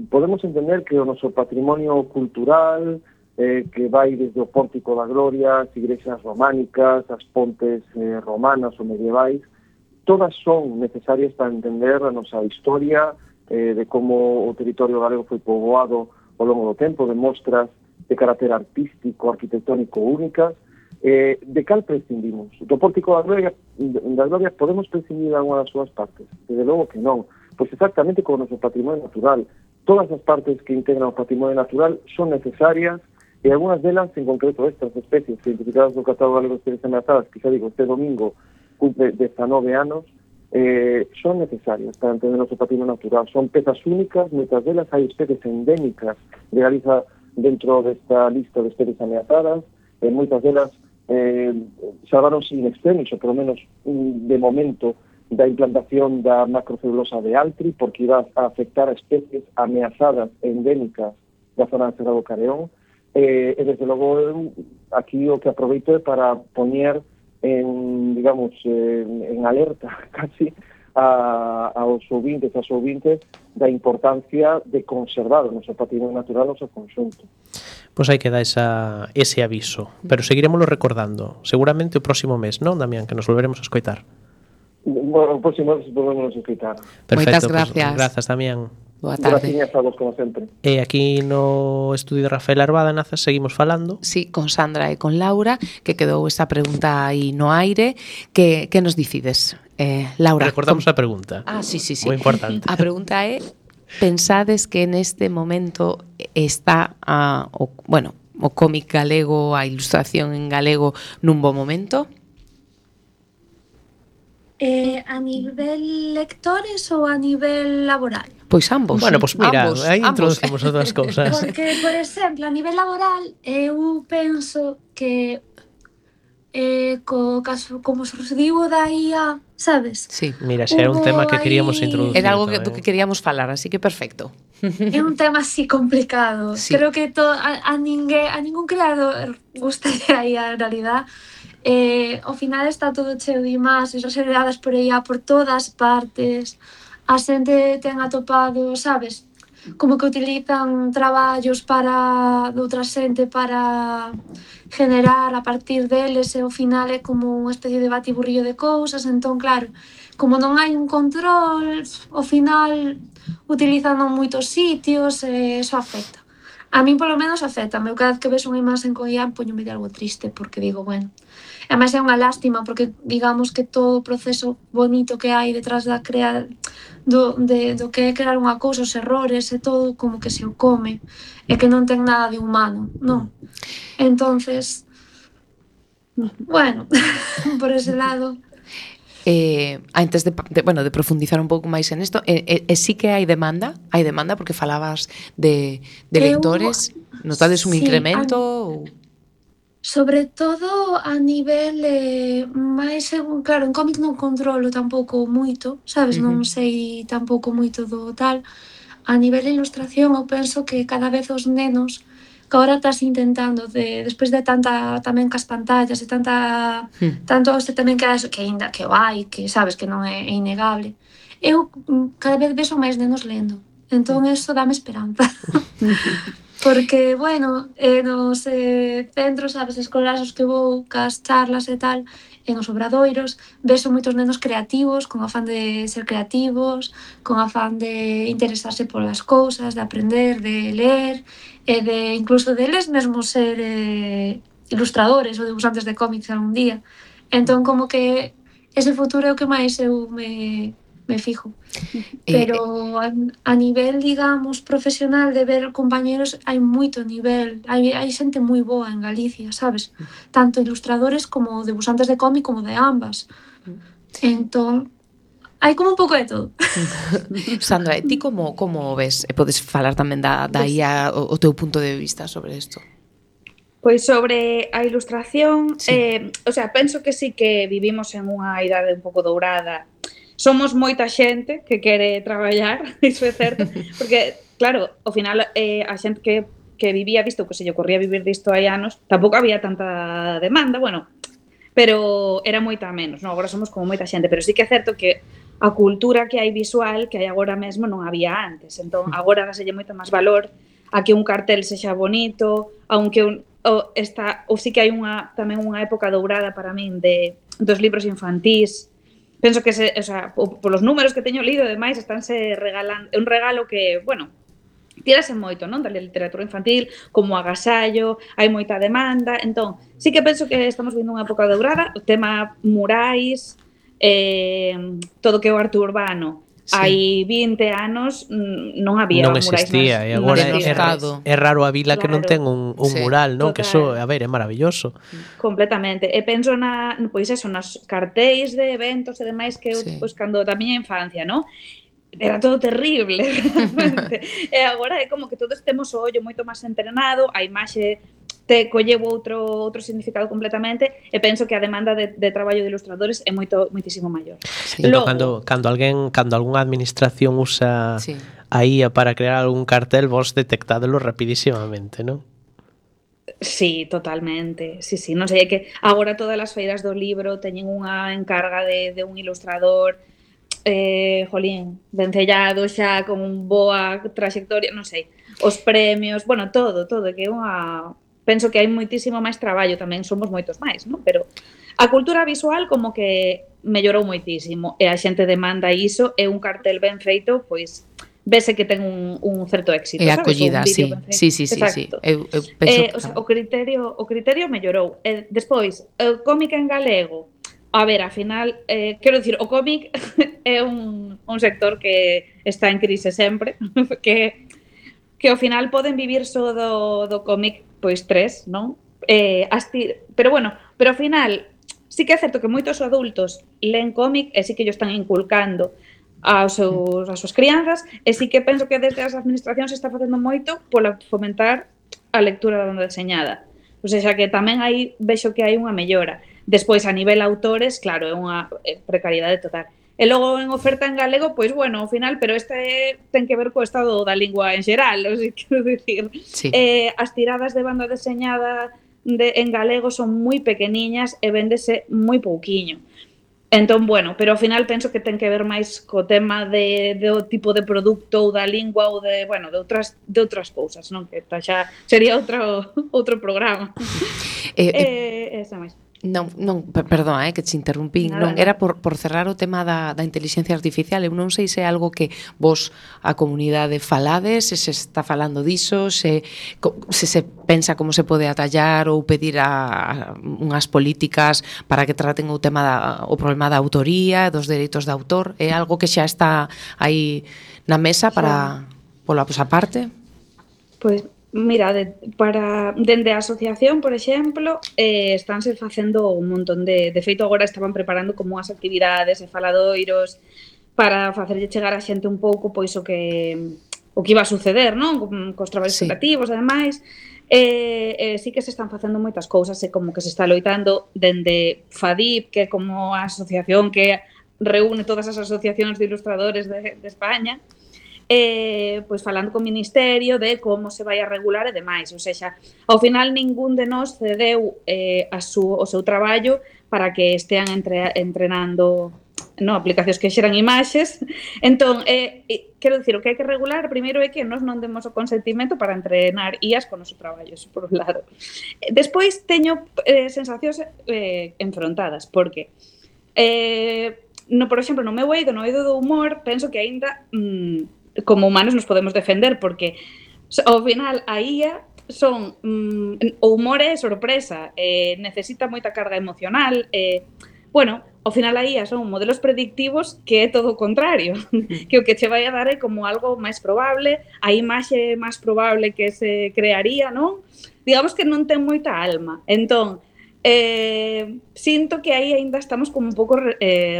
Podemos entender que o noso patrimonio cultural, que vai desde o Pórtico da Gloria, as igrexas románicas, as pontes romanas ou medievais, todas son necesarias para entender a nosa historia, de como o territorio galego foi poboado ao longo do tempo, de mostras de carácter artístico, arquitectónico únicas. De cal prescindimos? Do Pórtico da Gloria podemos prescindir de alguna das súas partes? Desde logo que non. Pois exactamente como o noso patrimonio natural. Todas as partes que integran o patrimonio natural son necesarias, e algunhas delas, en concreto estas especies identificadas no catálogo galego de especies ameazadas, que xa digo, este domingo cumple 19 anos, son necesarias para entender o noso patrimonio natural. Son pezas únicas, moitas delas hai especies endémicas de Galiza dentro desta lista de especies ameazadas, moitas delas salvaronse in extremis, ou polo menos de momento, da implantación da macrocelulosa de Altri, porque iba a afectar a especies ameazadas endémicas da zona de Serra do Careón, e desde logo aquí o que aproveito é para poñer en alerta casi aos ouvintes, as ouvintes, da importancia de conservar o noso patrimonio natural no seu conxunto. Pois hai que dar ese aviso, pero seguiremoslo recordando, seguramente o próximo mes, non, Damián, que nos volveremos a escoitar. Bueno, o próximo mes volveremos a escoitar. Perfecto, moitas gracias. Pues, grazas, Damián. Boa tarde. Gracias a vos, como sempre. E aquí no estudio de Rafael Arbada Nazas seguimos falando. Sí, con Sandra e con Laura, que quedou esta pregunta aí no aire. Que nos dicides, Laura? Recordamos a pregunta. Sí. Moi importante. A pregunta é: pensades que neste momento está o cómic galego, a ilustración en galego nun bo momento? A nivel lectores ou a nivel laboral? Pois ambos. Bueno, pois mira, aí ambos. introducimos outras cousas. Porque, por exemplo, a nivel laboral, eu penso que co caso, como surdiu da IA, sabes? Sí. Mira, xa era un tema que queríamos introducir. Era algo do que queríamos falar, así que perfecto. É un tema así complicado. Sí. Creo que a ningún creador gustaría a IA en realidad. Ao final está todo cheo de imaxes xeradas por IA por todas partes. A xente ten atopado, sabes, como que utilizan traballos de outra xente para generar a partir deles, e ao final é como unha especie de batiburrillo de cousas. Entón, claro, como non hai un control, ao final utilizan en moitos sitios, e eso afecta. A mí polo menos afecta. Eu cada vez que ves unha imaxe con IA poñome de algo triste, porque digo, bueno, además é unha lástima, porque digamos que todo o proceso bonito que hai detrás da do que é crear unha cousa, os errores e todo, como que se o come, e que non ten nada de humano, non? Entonces, bueno, por ese lado. Antes de profundizar un pouco máis en isto, sí que hai demanda porque falabas de lectores, notades un incremento ou... Sobre todo a nivel máis según, claro, en cómic non controlo tampouco moito, sabes, non sei tampouco moito do tal. A nivel de ilustración eu penso que cada vez os nenos que agora estás intentando despois de tanta tamén cas pantallas e tanto este tamén que aínda que o hai, que sabes que non é innegable. Eu cada vez vexo máis nenos lendo. Entón eso dame esperanza. Porque, bueno, nos centros, sabes, escolares os que vou, cas charlas e tal, e nos obradoiros, vexo moitos nenos creativos, con afán de ser creativos, con afán de interesarse polas cousas, de aprender, de ler, e de incluso deles mesmos ser ilustradores ou debuxantes de cómics algún día. Entón, como que ese futuro é o que máis eu me fijo. Pero a nivel, digamos, profesional de ver compañeros, hai moito nivel, hai xente moi boa en Galicia, sabes? Tanto ilustradores como debuxantes de cómic como de ambas. Entón, hai como un pouco de todo. Sandra, ti como ves? E podes falar tamén da IA, o teu punto de vista sobre isto. Pois sobre a ilustración, o sea, penso que sí que vivimos en unha idade un pouco dourada. Somos moita xente que quere traballar, iso é certo, porque, claro, ao final a xente que vivía disto, que se lle ocorría vivir disto hai anos, tampouco había tanta demanda, bueno, pero era moita menos, non? Agora somos como moita xente, pero sí que é certo que a cultura que hai visual que hai agora mesmo non había antes, entón agora dáselle moito máis valor a que un cartel sexa bonito, aunque ou sí que hai tamén unha época dourada para min dos libros infantís. Penso que o sea, polos números que teño lido e demais estánse regalando, é un regalo que, bueno, tírase moito, non, da literatura infantil, como agasallo, hai moita demanda, entón, sí que penso que estamos vindo unha época dourada, o tema murais, todo que é o arte urbano. Sí. Hai 20 anos non había non murais. Non existía, e agora é raro a vila, claro, que non ten un mural, non? Total. Que eso, a ver, é maravilloso. Completamente. E penso pois eso, nas cartéis de eventos e demais que eu, pois, cando da miña infancia, non? Era todo terrible, realmente. E agora é como que todos temos o ollo moito máis entrenado, a imaxe te colleu outro significado completamente, e penso que a demanda de traballo de ilustradores é moitísimo maior. Sí. Logo, cando algunha administración usa a IA para crear algún cartel, vos detectádelo rapidísimamente, non? Sí, totalmente. Sí, non sei, é que agora todas as feiras do libro teñen unha encarga de un ilustrador, jolín, vencellado xa con boa trayectoria, non sei, os premios, bueno, todo, que é unha... Penso que hai moitísimo máis traballo, tamén somos moitos máis, non? Pero a cultura visual como que mellorou moitísimo e a xente demanda iso, e un cartel ben feito, pois vese que ten un certo éxito, sabes? É acollida, sí. Sí. Eu penso, o sea, o criterio mellorou. Despois, o cómic en galego, a ver, ao final, quero dicir, o cómic é un sector que está en crise sempre, que ao final poden vivir só do cómic, pois 3, non? Pero bueno, ao final sí que é certo que moitos adultos len cómic e sí que ellos están inculcando as súas crianzas, e sí que penso que desde as administracións se está facendo moito pola fomentar a lectura da banda deseñada. O sea, que tamén aí vexo que hai unha mellora. Despois, a nivel autores, claro, é unha precariedade total. E logo en oferta en galego, pois bueno, ao final, pero ten que ver co estado da lingua en xeral, o sea, quero dicir. Sí. As tiradas de banda deseñada en galego son moi pequeniñas e véndese moi pouquiño. Entón, bueno, pero ao final penso que ten que ver máis co tema do tipo de produto ou da lingua ou de outras cousas, non? Que xa sería outro programa. Esa máis. Non, perdón, que te interrumpí. Non, era por cerrar o tema da inteligencia artificial. Eu non sei se é algo que vos, a comunidade, falades, se está falando diso, se pensa como se pode atallar ou pedir unhas políticas para que traten o problema da autoría, dos dereitos de autor. É algo que xa está aí na mesa para pola vosa parte? Pois Mira, dende a asociación, por exemplo, estánse facendo un montón de feito agora estaban preparando como as actividades e faladoiros para facerlle chegar a xente un pouco pois o que iba a suceder, non? Cos traballos creativos e demais. Sí que se están facendo moitas cousas e como que se está loitando dende FADIP, que é como a asociación que reúne todas as asociacións de ilustradores de España, pois falando co Ministerio de como se vai a regular e demais. Ou seja, ao final ningún de nós cedeu o seu traballo para que estean entrenando aplicacións que xeran imaxes. Entón, quero dicir, o que hai que regular primeiro é que nós non demos o consentimento para entrenar IAs con o noso traballo, eso por un lado. Despois teño sensacións enfrontadas, porque por exemplo, no meu eido, no eido do humor, penso que aínda como humanos nos podemos defender, porque ao final a IA son o humor é sorpresa, necesita moita carga emocional, bueno, ao final a IA son modelos predictivos que é todo o contrario, que o que che vai a dar é como algo máis probable, a imaxe máis probable que se crearía, non? Digamos que non ten moita alma. Entón, sinto que aí aínda estamos como un pouco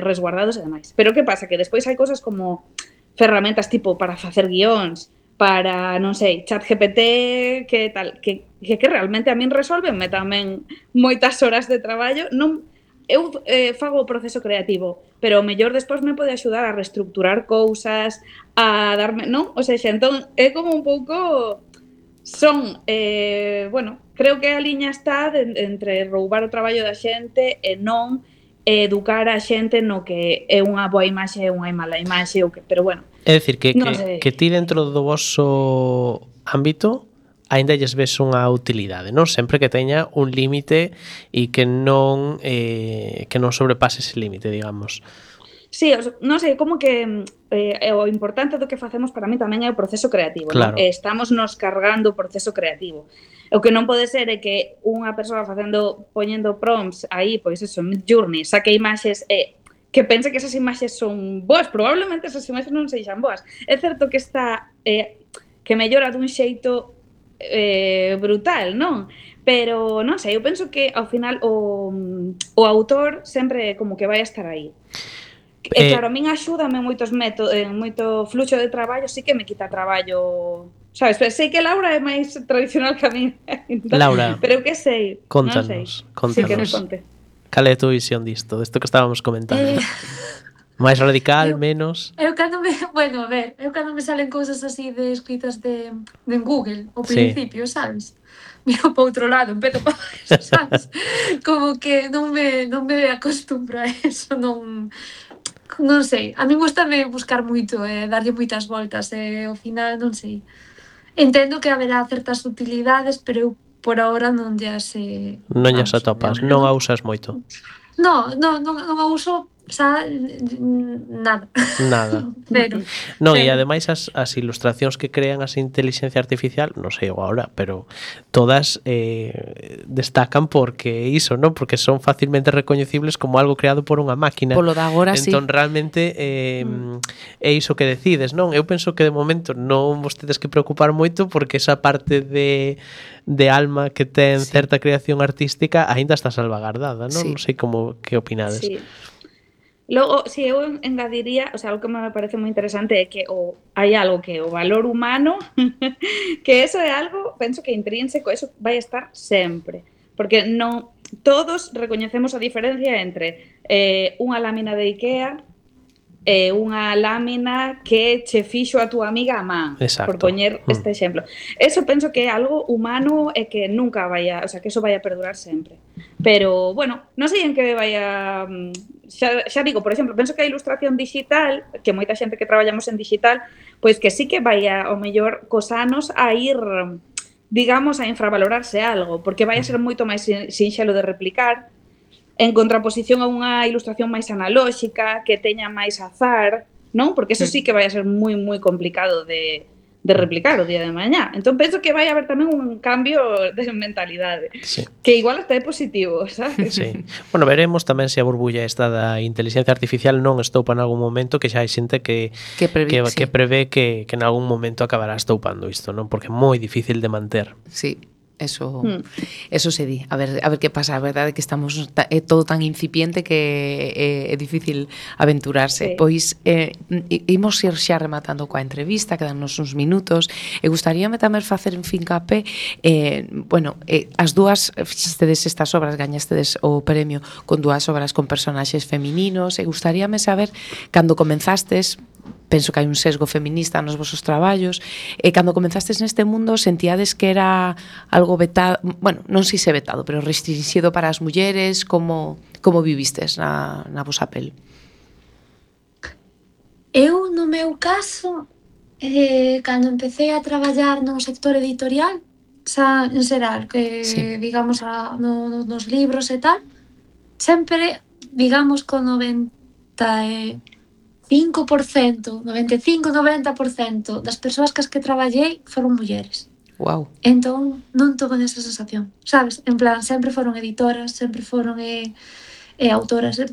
resguardados e demais. Pero que pasa? Que despois hai cosas como ferramentas tipo para facer guións, para, non sei, ChatGPT, que tal, que realmente a min resolvenme tamén moitas horas de traballo. Non, eu fago o proceso creativo, pero o mellor despois me pode axudar a reestructurar cousas, a darme, non? O sea, entón é como un pouco son, bueno, creo que a liña está entre roubar o traballo da xente e non educar a xente no que é unha boa imaxe e unha mala imaxe, pero bueno. É dicir, que ti dentro do vosso ámbito aínda lles ves unha utilidade, non? Sempre que teña un límite e que non sobrepase ese límite, digamos. Sí, non sei, como que o importante do que facemos para mí tamén é o proceso creativo, claro. Non? Estamos nos cargando o proceso creativo. O que non pode ser é que unha persoa poñendo prompts aí, pois eso, Midjourney, saque imaxes que pense que esas imaxes son boas, probablemente esas imaxes non sexan boas. É certo que está que mellora dun xeito brutal, non? Pero non sei, eu penso que ao final o autor sempre como que vai a estar aí. E claro, a min axúdame moito fluxo de traballo, sí que me quita traballo, sabes? Pero sei que Laura é máis tradicional que a min. Laura, pero eu que sei, contanos, non sei. Contanos. Sí, que nos conte. Cal é a tua visión disto que estábamos comentando? Máis radical, menos? Eu cando me salen cousas así de escritas de Google ao principio, sabes? Miro para outro lado, empezo para eso, sabes? Como que non me acostumbro a eso, non sei. A mí gustame buscar moito, darlle moitas voltas, ao final non sei. Entendo que haberá certas utilidades, pero eu por ahora non lle sei. Non lle atopas, non a usas moito. Non a uso, xa, nada. Pero e ademais as ilustracións que crean as inteligencia artificial, non sei agora, pero todas destacan porque iso, non? Porque son facilmente recoñecibles como algo creado por unha máquina. Polo de agora, entón, realmente é iso que decides, non? Eu penso que de momento non vos tedes que preocupar moito porque esa parte de alma que ten certa creación artística aínda está salvagardada, non? Non sei que opinades. Sí. Logo, si eu engadiría, o sea, algo que me parece moi interesante é que hai algo que o valor humano, que eso é algo, penso que intrínseco, eso vai estar sempre, porque non todos recoñecemos a diferencia entre unha lámina de Ikea e unha lámina que che fixo a túa amiga a man, por poñer este exemplo. Eso penso que é algo humano e que nunca vai a, o sea, que eso vai a perdurar sempre. Pero, bueno, non sei en que vai a... Xa digo, por exemplo, penso que a ilustración digital, que moita xente que traballamos en digital, pois que sí que vai ao mellor cos anos a ir, digamos, a infravalorarse algo, porque vai a ser moito máis sinxelo de replicar, en contraposición a unha ilustración máis analóxica, que teña máis azar, non? Porque eso sí que vai a ser moi, moi complicado de replicar o día de mañá. Entón penso que vai haber tamén un cambio de mentalidade, que igual hasta é positivo, sabes? Sí. Bueno, veremos tamén se a burbulla esta da inteligencia artificial non estoupa en algún momento, que xa hai xente que prevé que en algún momento acabará estoupando isto, non? Porque é moi difícil de manter. Sí. Eso se di. A ver que pasa. A verdade é que estamos é todo tan incipiente que é difícil aventurarse. Pois imos ir xa rematando coa entrevista, quedannos uns minutos. E gustaríame tamén facer en fincapé as dúas fixestedes estas obras, gañastedes o premio con dúas obras con personaxes femininos, e gustaríame saber cando comenzastes. Penso que hai un sesgo feminista nos vosos traballos, e cando comenzastes neste mundo sentíades que era algo vetado, bueno, non sei se vetado, pero restringido para as mulleres, como vivistes na vosa pel? Eu, no meu caso, cando empecé a traballar no sector editorial, xa en xeral, que digamos nos libros e tal, sempre, digamos, con 95-90% das persoas cas que traballei foron mulleres. Wow. Entón, non tuve esa sensación, sabes? En plan, sempre foron editoras, sempre foron autoras.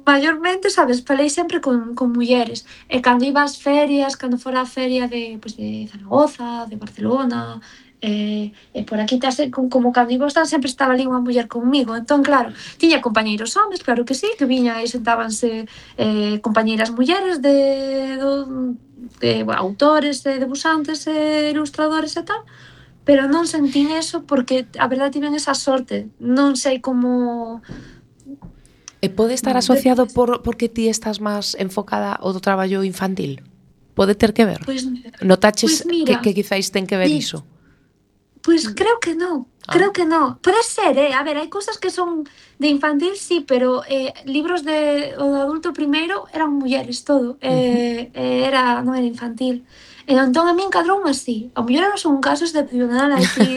Mayormente, sabes, falei sempre con mulleres. E cando iba ás ferias, cando fora a feria de Zaragoza, de Barcelona, e por aquí como cando iba estar sempre estaba ali unha muller conmigo. Entón, claro, tiña compañeiros homes, claro que sí, que viñan e sentábanse compañeiras mulleres de autores, debuxantes, ilustradores e tal, pero non sentín eso porque a verdade tiven esa sorte. Non sei como... E pode estar asociado porque ti estás máis enfocada ao do traballo infantil? Pode ter que ver? Notaches que quizáis ten que ver iso? Pois creo que non. Pode ser, a ver, hai cousas que son de infantil, sí, pero libros o de adulto primeiro eran mulleres todo, non era infantil. Entón a mí encadrou así. A muller non son un caso excepcional así,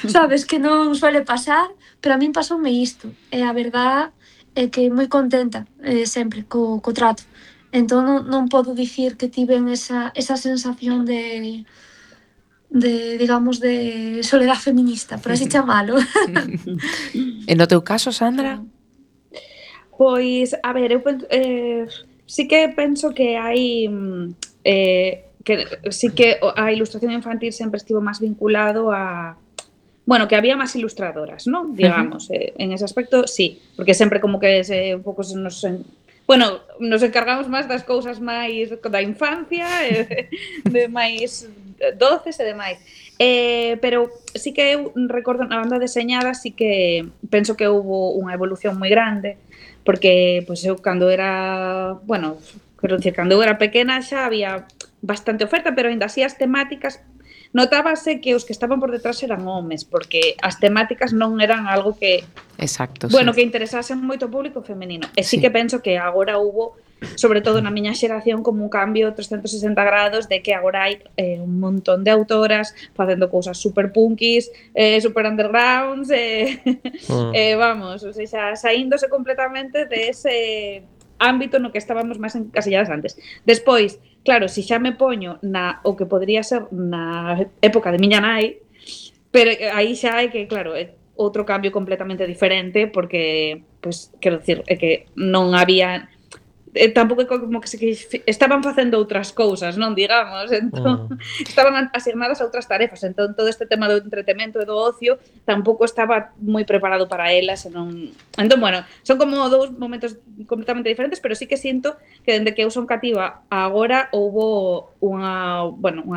sabes, que non suele pasar, pero a min pasoume isto. E a verdad é que moi contenta sempre co trato. Entón non podo dicir que tiven esa sensación de digamos, de soledad feminista, por así chamalo. E no teu caso, Sandra? Pois, a ver, eu sí que penso que hai que sí que a ilustración infantil sempre estivo máis vinculado a que había máis ilustradoras, non? Digamos, en ese aspecto, sí, porque sempre como que un pouco nos encargamos máis das cousas máis da infancia, de máis doces e demais. Pero sí que eu recordo na banda deseñada, sí que penso que houve unha evolución moi grande, porque pois eu cando era, cando eu era pequena xa había bastante oferta, pero ainda así as temáticas notábase que os que estaban por detrás eran homes, porque as temáticas non eran algo que que interesasen moito ao público femenino. E sí que penso que agora hubo, sobre todo na miña xeración, como un cambio 360 grados de que agora hai un montón de autoras facendo cousas super punkis, super undergrounds, vamos, o sea, saíndose completamente de ese ámbito no que estábamos máis encasilladas antes. Despois, claro, si xa me poño o que podría ser na época de miña nai, pero aí xa hai que, claro, é outro cambio completamente diferente, porque, pois, quero dicir, é que non había... tampouco como que estaban facendo outras cousas, non, digamos, entón estaban asignadas a outras tarefas, entón todo este tema do entretemento e do ocio tampouco estaba moi preparado para elas, entón, son como dous momentos completamente diferentes, pero sí que sinto que dende que eu son cativa agora houbo unha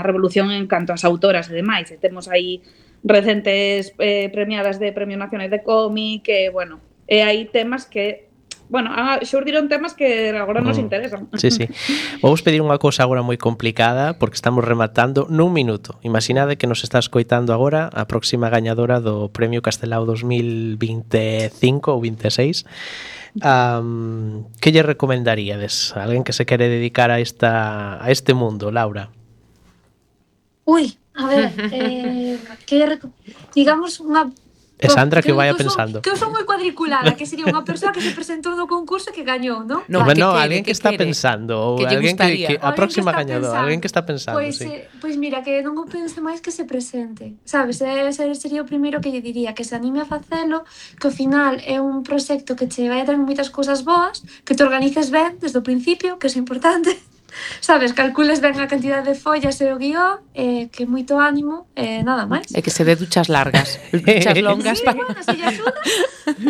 revolución en canto ás autoras e demais, e temos aí recentes premiadas de Premio Nacional de Cómic, e hai temas que xurdiron temas que agora nos interesan. Sí. Vamos pedir unha cousa agora moi complicada, porque estamos rematando nun minuto. Imaginade que nos está escoitando agora a próxima gañadora do Premio Castelao 2025 ou 26. Que lle recomendaríades a alguén que se quere dedicar a este mundo, Laura? A ver, digamos unha E Sandra que Eu vaya son- pensando. Que eu son moi cuadriculada, que sería unha persoa que se presentou no concurso e que gañou, non? No, Bueno, que quere, alguén que que está quere. pensando ou Que lle alguén gustaría. que a Alguén próxima que está gañadora, pensando. alguén que está pensando, Pois, sí. pois mira, que non o pense máis que se presente, sabes? Ese sería o primeiro que lle diría, que se anime a facelo, que ao final é un proxecto que che vai a traer moitas cousas boas, que te organices ben desde o principio, que é importante, sabes? Calcules ben a cantidad de follas e o guión, que moito ánimo, nada máis. E que se dé duchas largas, duchas longas Sí, para... bueno, se lle axuda,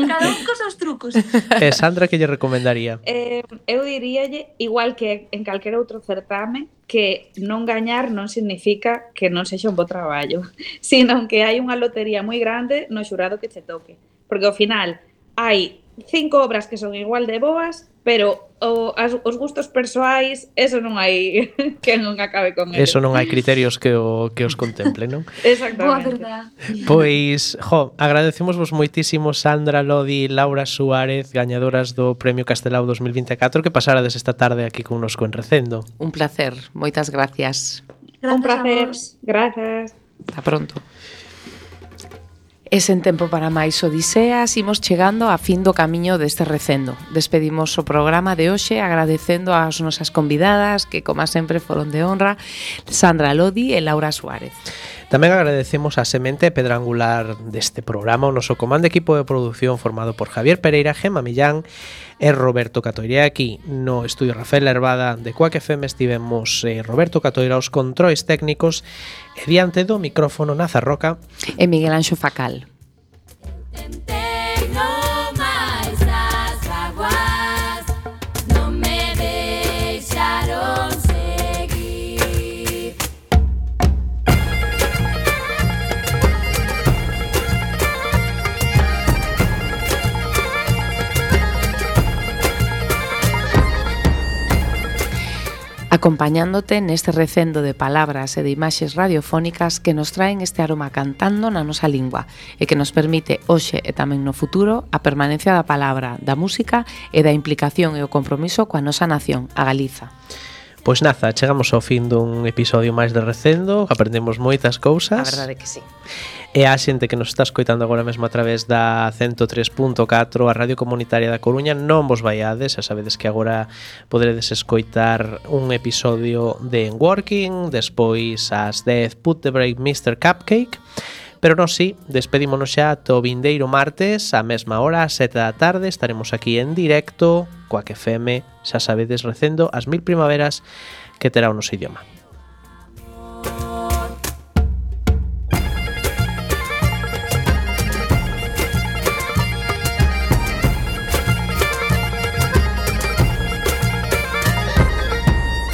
cada un cos seus trucos. E Sandra que lle recomendaría? Eu diríalle, igual que en calquera outro certame, que non gañar non significa que non sexa un bo traballo, sino que hai unha lotería moi grande no xurado que che toque. Porque ao final hai 5 obras que son igual de boas, pero os gustos persoais, eso non hai que non acabe con eles. Eso non hai criterios que os contemplen, non? Boa Exactamente. verdad. Pois, agradecemosvos moitísimo Sandra Lodi e Laura Suárez, gañadoras do Premio Castelao 2024, que pasarades esta tarde aquí connosco en Recendo. Un placer, moitas gracias. Grazas Un placer. a vos. Grazas. Ata pronto. E sen tempo para máis odiseas, imos chegando a fin do camiño deste recendo. Despedimos o programa de hoxe agradecendo ás nosas convidadas, que como sempre foron de honra, Sandra Lodi e Laura Suárez. Tamén agradecemos a semente e pedra angular deste programa, o noso comando equipo de produción formado por Javier Pereira, Gemma Millán e Roberto Catoira. Aquí no estudio Rafael Herbada de Quack FM estivemos Roberto Catoira aos controis técnicos e diante do micrófono Nazarroca E Miguel Anxo Facal. Tentei no máis as vaguas, non me deixaron seguir. Acompañándote neste recendo de palabras e de imaxes radiofónicas que nos traen este aroma cantando na nosa lingua e que nos permite hoxe e tamén no futuro a permanencia da palabra, da música e da implicación e o compromiso coa nosa nación, a Galiza. Pois naza, chegamos ao fin dun episodio máis de Recendo, aprendemos moitas cousas. A verdade que sí. E a xente que nos está escoitando agora mesmo a través da 103.4, a Radio Comunitaria da Coruña, non vos vaiades, xa sabedes que agora poderedes escoitar un episodio de En Working, despois ás 10 Put the Break Mr. Cupcake, pero non si, despedímonos xa ata o vindeiro martes, a mesma hora, ás 7 da tarde, estaremos aquí en directo, Quack FM, xa sabedes, recendo as 1000 primaveras que terá o noso idioma.